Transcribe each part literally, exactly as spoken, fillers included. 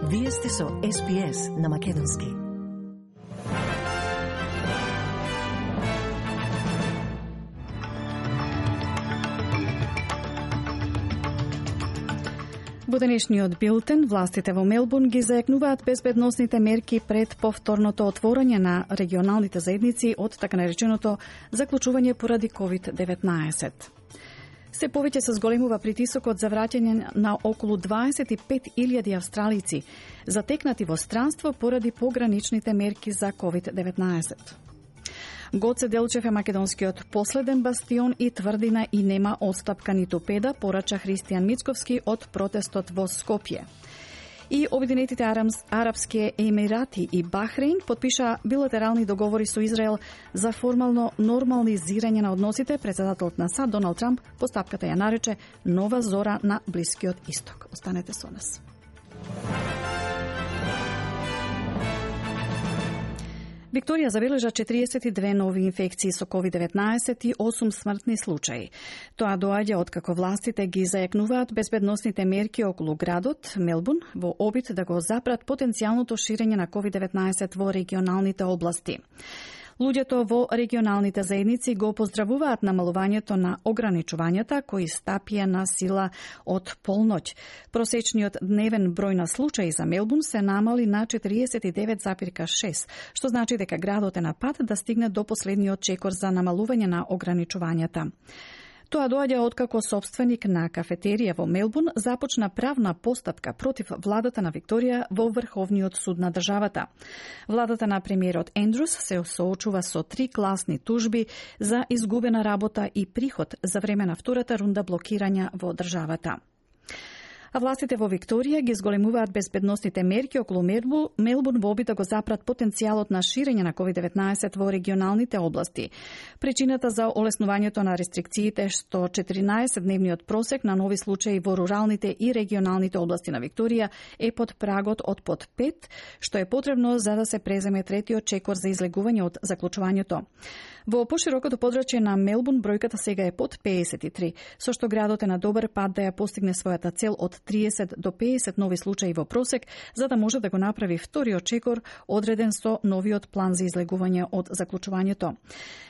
Вие сте со Ес Би Ес на Македонски. Во денешниот билтен, властите во Мелбурн ги зајакнуваат безбедносните мерки пред повторното отворање на регионалните заедници од така нареченото заклучување поради ковид деветнаесет. Се повеќе се зголемува притисокот за враќање на околу дваесет и пет илјади австралици затекнати во странство поради пограничните мерки за ковид деветнаесет. Гоце Делчев е македонскиот последен бастион и тврдина и нема отстапка ниту педа, порача Христијан Мицковски од протестот во Скопје. И Обединетите арапски емирати и Бахрейн подпиша билатерални договори со Израел за формално нормализирање на односите. Председателот на САД Доналд Трамп постапката ја нарече нова зора на Блискиот Исток. Останете со нас. Викторија забележа четириесет и две нови инфекции со ковид деветнаесет и осум смртни случаи. Тоа доаѓа откако властите ги зајакнуваат безбедносните мерки околу градот Мелбурн во обид да го запрат потенцијалното ширење на ковид деветнаесет во регионалните области. Луѓето во регионалните заедници го поздравуваат намалувањето на ограничувањата кои стапија на сила од полноќ. Просечниот дневен број на случаи за Мелбурн се намали на четириесет и девет зарез шест, што значи дека градот е на пат да стигне до последниот чекор за намалување на ограничувањата. Тоа доаѓа откако собственик на кафетерија во Мелбурн започна правна постапка против владата на Викторија во Врховниот суд на државата. Владата на премиерот Ендрус се соочува со три класни тужби за изгубена работа и приход за време на втората рунда блокирања во државата. А властите во Викторија ги зголемуваат безбедносните мерки околу Мелбурн во обид да го запрат потенцијалот на ширење на ковид деветнаесет во регионалните области. Причината за олеснувањето на рестрикциите што четиринаесетдневниот просек на нови случаи во руралните и регионалните области на Викторија е под прагот од под пет, што е потребно за да се преземе третиот чекор за излегување од заклучувањето. Во поширокото подрачје на Мелбурн бројката сега е под пеесет и три, со што градот е на добар пат да ја постигне својата цел од триесет до пеесет нови случаи во просек, за да може да го направи вториот чекор одреден со новиот план за излегување од заклучувањето.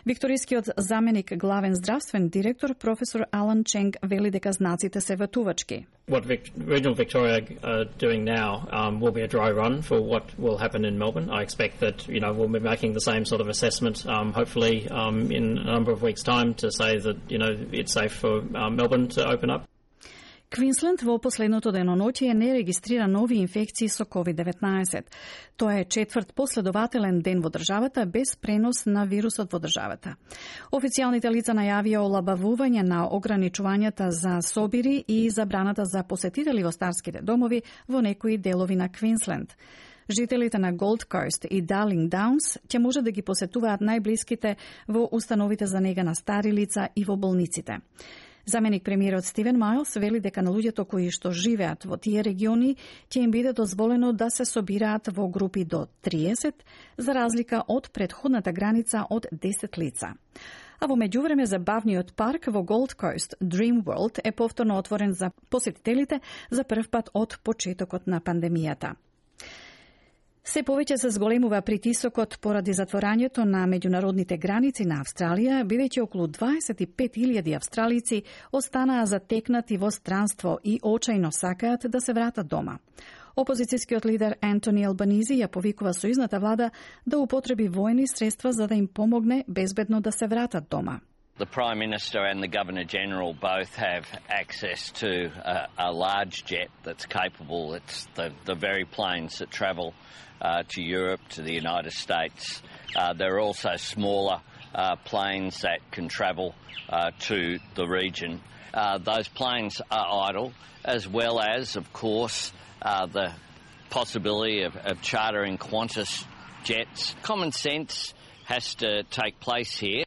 Викторискиот заменик главен здравствен директор професор Алан Ченг вели дека знаците се ветувачки. What Vic- Regional Victoria are doing now um, will be a dry run for what will happen in Melbourne. I expect that, you know, we'll be making the same sort of assessment, um, hopefully um, in a number of weeks' time to say that, you know, it's safe for um, Melbourne to open up. Квинсленд во последното деноноќие не регистрира нови инфекции со ковид деветнаесет. Тоа е четврт последователен ден во државата без пренос на вирусот во државата. Официјалните лица најавија олабавување на ограничувањата за собири и забраната за посетители во старските домови во некои делови на Квинсленд. Жителите на Голд Кост и Дарлинг Даунс ќе може да ги посетуваат најблиските во установите за нега на стари лица и во болниците. Заменик премиерот Стивен Мајлс вели дека на луѓето кои што живеат во тие региони ќе им биде дозволено да се собираат во групи до триесет, за разлика од претходната граница од десет лица. А во меѓувреме забавниот парк во Голд Кост, Dream World, е повторно отворен за посетителите за прв пат од почетокот на пандемијата. Се повеќе се зголемува притисокот поради затворањето на меѓународните граници на Австралија, бидејќи околу дваесет и пет илјади австралици останаа затекнати во странство и очајно сакаат да се вратат дома. Опозицијскиот лидер Антони Албанизи ја повикува сојузната влада да употреби војни средства за да им помогне безбедно да се вратат дома. The Prime Minister and the Governor-General both have access to a, a large jet that's capable. It's the, the very planes that travel uh, to Europe, to the United States. Uh, there are also smaller uh, planes that can travel uh, to the region. Uh, those planes are idle, as well as, of course, uh, the possibility of, of chartering Qantas jets. Common sense has to take place here.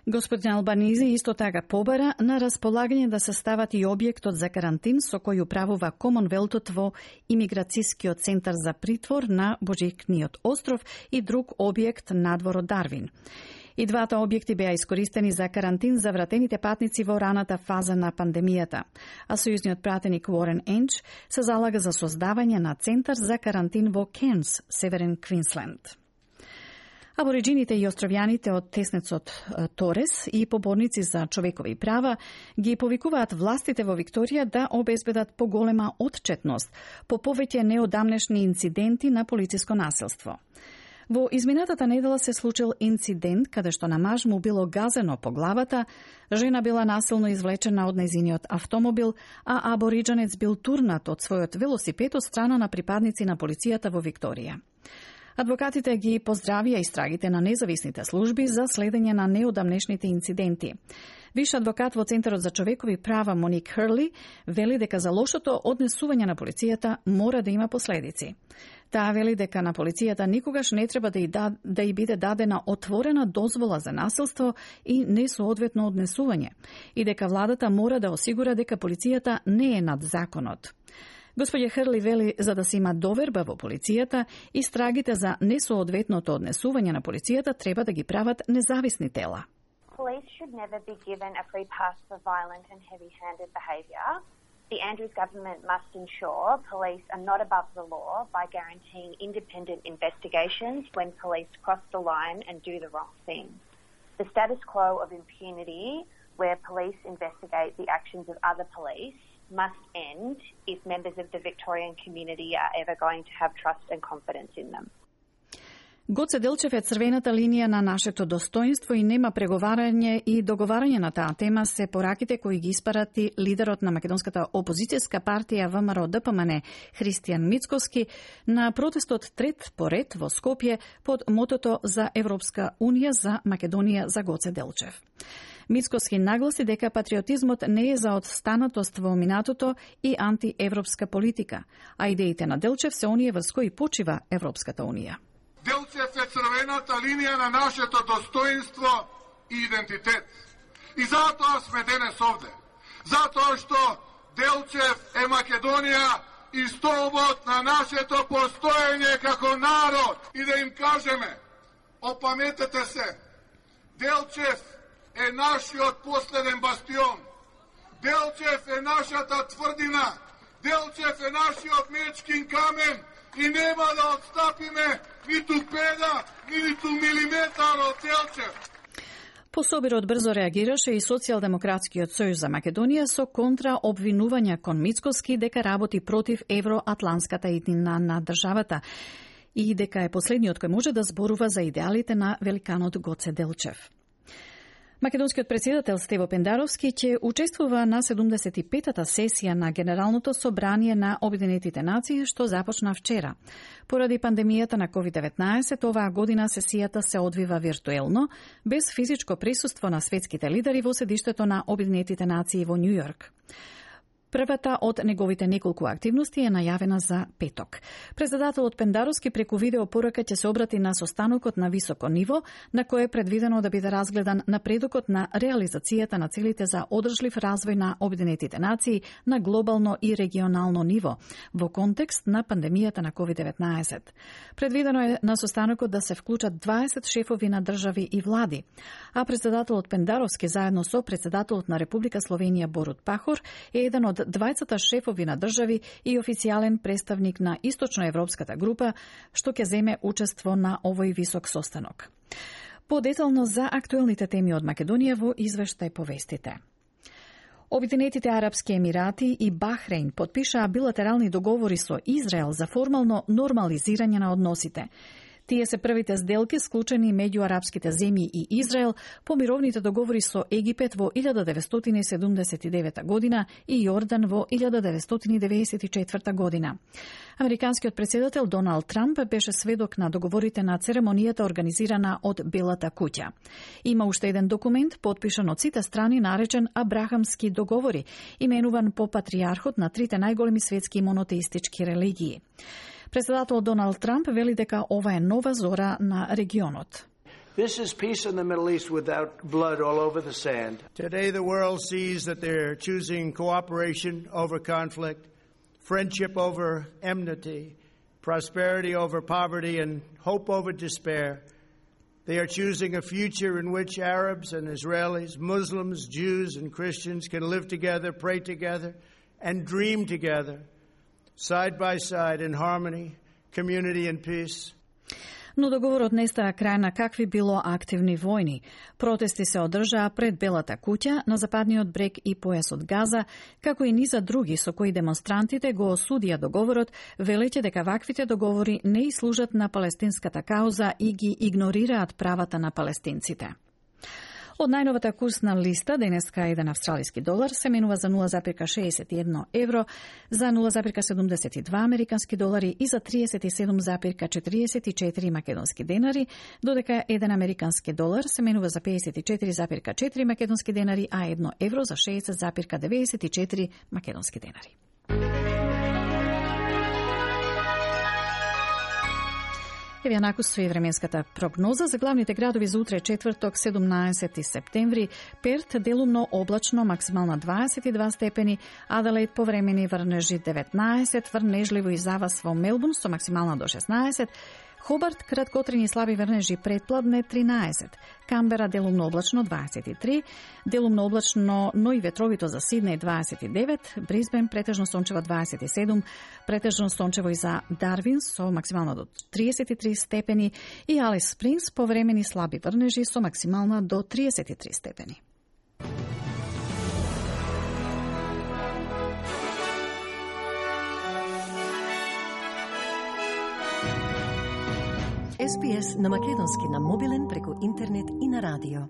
Господин Албанизи исто така побара на располагање да се стават и објектот за карантин со кој управува Комонвелтот во имиграцијскиот центар за притвор на Божикниот остров и друг објект надвор од Дарвин. И двата објекти беа искористени за карантин за вратените патници во раната фаза на пандемијата. А сојузниот пратеник Уорен Енч се залага за создавање на центар за карантин во Кернс, Северен Квинсленд. Абориджините и островјаните од теснецот Торес и поборници за човекови права ги повикуваат властите во Викторија да обезбедат поголема отчетност по повеќе неодамнешни инциденти на полициско насилство. Во изминатата недела се случил инцидент каде што на маж му било газено по главата, жена била насилно извлечена од нејзиниот автомобил, а абориджанец бил турнат од својот велосипед од страна на припадници на полицијата во Викторија. Адвокатите ги поздравија истрагите на независните служби за следење на неодамнешните инциденти. Виш адвокат во Центарот за човекови права Моник Хрли вели дека за лошото однесување на полицијата мора да има последици. Таа вели дека на полицијата никогаш не треба да и, да, да и биде дадена отворена дозвола за насилство и несоодветно однесување и дека владата мора да осигура дека полицијата не е над законот. Господја Хрли вели за да се има доверба во полицијата, истрагите за несоодветното однесување на полицијата треба да ги прават независни тела. Police should never be given a free pass for violent and heavy-handed behaviour. The Andrews government must ensure police are not above the law by guaranteeing independent investigations when police cross the line and do the wrong thing. The status quo of impunity, where police investigate the actions of other police, must end if members of the Victorian community are ever going to have trust and confidence in them. Гоце Делчев е црвената линија на нашето достоинство и нема преговарање и договарање на таа тема се пораките кои ги испарати лидерот на македонската опозицијска партија ВМРО Д П М Н Христијан Мицкоски на протестот трет поред во Скопје под мотото за Европска унија за Македонија за Гоце Делчев. Мицкоски нагласи дека патриотизмот не е за одстанатост во минатото и антиевропска политика, а идеите на Делчев се оние врз кои почива Европската унија. Делчев е црвената линија на нашето достоинство и идентитет. И затоа сме денес овде. Затоа што Делчев е Македонија и столбот на нашето постоење како народ. И да им кажеме, опаметете се, Делчев е нашиот последен бастион. Делчев е нашата тврдина. Делчев е нашиот мечкин камен и нема да отстапиме ниту педа, ниту милиметар од Делчев. Пособирот брзо реагираше и Социјалдемократскиот сојуз за Македонија со контра обвинувања кон Мицкоски дека работи против евроатланската иднина на државата и дека е последниот кој може да зборува за идеалите на великанот Гоце Делчев. Македонскиот председател Стево Пендаровски ќе учествува на седумдесет и петата сесија на Генералното собрание на Обединетите нации, што започна вчера. Поради пандемијата на ковид деветнаесет, оваа година сесијата се одвива виртуелно, без физичко присуство на светските лидери во седиштето на Обединетите нации во Њу Јорк. Првата од неговите неколку активности е најавена за петок. Председателот Пендаровски преку видео порака ќе се обрати на состанокот на високо ниво, на кој е предвидено да биде разгледан напредокот на реализацијата на целите за одржлив развој на Обединетите нации на глобално и регионално ниво, во контекст на пандемијата на ковид деветнаесет. Предвидено е на состанокот да се вклучат дваесет шефови на држави и влади, а председателот Пендаровски заедно со председателот на Република Словенија Борут Пахор е еден од дваесет шефови на држави и официјален представник на источноевропската група, што ќе земе учество на овој висок состанок. Подетално за актуелните теми од Македонија во извештај повестите. Обединетите Арапски Емирати и Бахрейн потпишаа билатерални договори со Израел за формално нормализирање на односите. Тие се првите сделки склучени меѓу арапските земји и Израел по мировните договори со Египет во илјада деветстотини седумдесет и девета година и Јордан во илјада деветстотини деветдесет и четврта година. Американскиот председател Доналд Трамп беше сведок на договорите на церемонијата организирана од Белата куќа. Има уште еден документ потпишан од сите страни наречен Абрахамски договори, именуван по патријархот на трите најголеми светски монотеистички религии. Председателот Доналд Трамп вели дека ова е нова зора на регионот. This is peace in the Middle East without blood all over the sand. Today the world sees that they're choosing cooperation over conflict, friendship They are choosing a future in which Arabs and Israelis, Muslims, Jews and Christians can live together, pray together, and dream together, side by side in harmony, community and peace. Но договорот не става крај на какви било активни војни. Протести се одржаа пред Белата куќа, на западниот брег и појасот Газа, како и низа други со кои демонстрантите го осудија договорот, велејќи дека ваквите договори не и служат на палестинската кауза и ги игнорираат правата на палестинците. Од најновата курсна листа, денеска еден австралиски долар се менува за нула зарез шеесет и едно евро, за нула зарез седумдесет и два американски долари и за триесет и седум зарез четиридесет и четири македонски денари, додека еден американски долар се менува за пеесет и четири зарез четири македонски денари, а едно евро за шеесет зарез деветдесет и четири македонски денари. Еве накусува и временската прогноза за главните градови за утре четврток седумнаесети септември. Перт делумно облачно, максимална дваесет и два степени, Аделаид повремени врнежи деветнаесет, врнежливо и завас во Мелбурн со максимална до шеснаесет, Хобарт краткотрени слаби врнежи предпладне тринаесет, Камбера делумно облачно дваесет и три, делумно облачно, но и ветровито за Сиднеј дваесет и девет, Брисбен претежно сончево дваесет и седум, претежно сончево и за Дарвин со максимално до триесет и три степени и Алис Спрингс повремени слаби врнежи со максимална до триесет и три степени. Ес Би Ес на македонски на мобилен преку интернет и на радио.